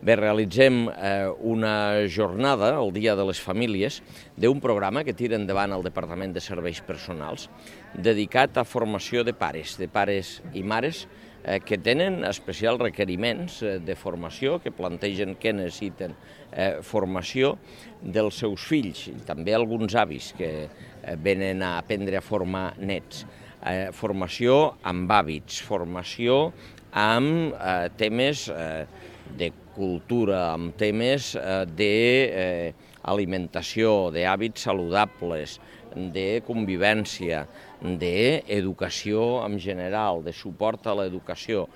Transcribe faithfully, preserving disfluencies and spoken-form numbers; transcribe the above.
Bé, realitzem eh, una jornada, el Dia de les Famílies, d'un programa que tira endavant el Departament de Serveis Personals, dedicat a formació de pares, de pares i mares eh, que tenen especials requeriments eh, de formació, que plantegen que necessiten eh, formació dels seus fills, i també alguns avis que eh, venen a aprendre a formar nets. Eh, formació amb hàbits, formació amb eh, temes eh, de cultura, amb temes eh, d'alimentació, d'hàbits saludables, de convivència, d'educació en general, de suport a l'educació.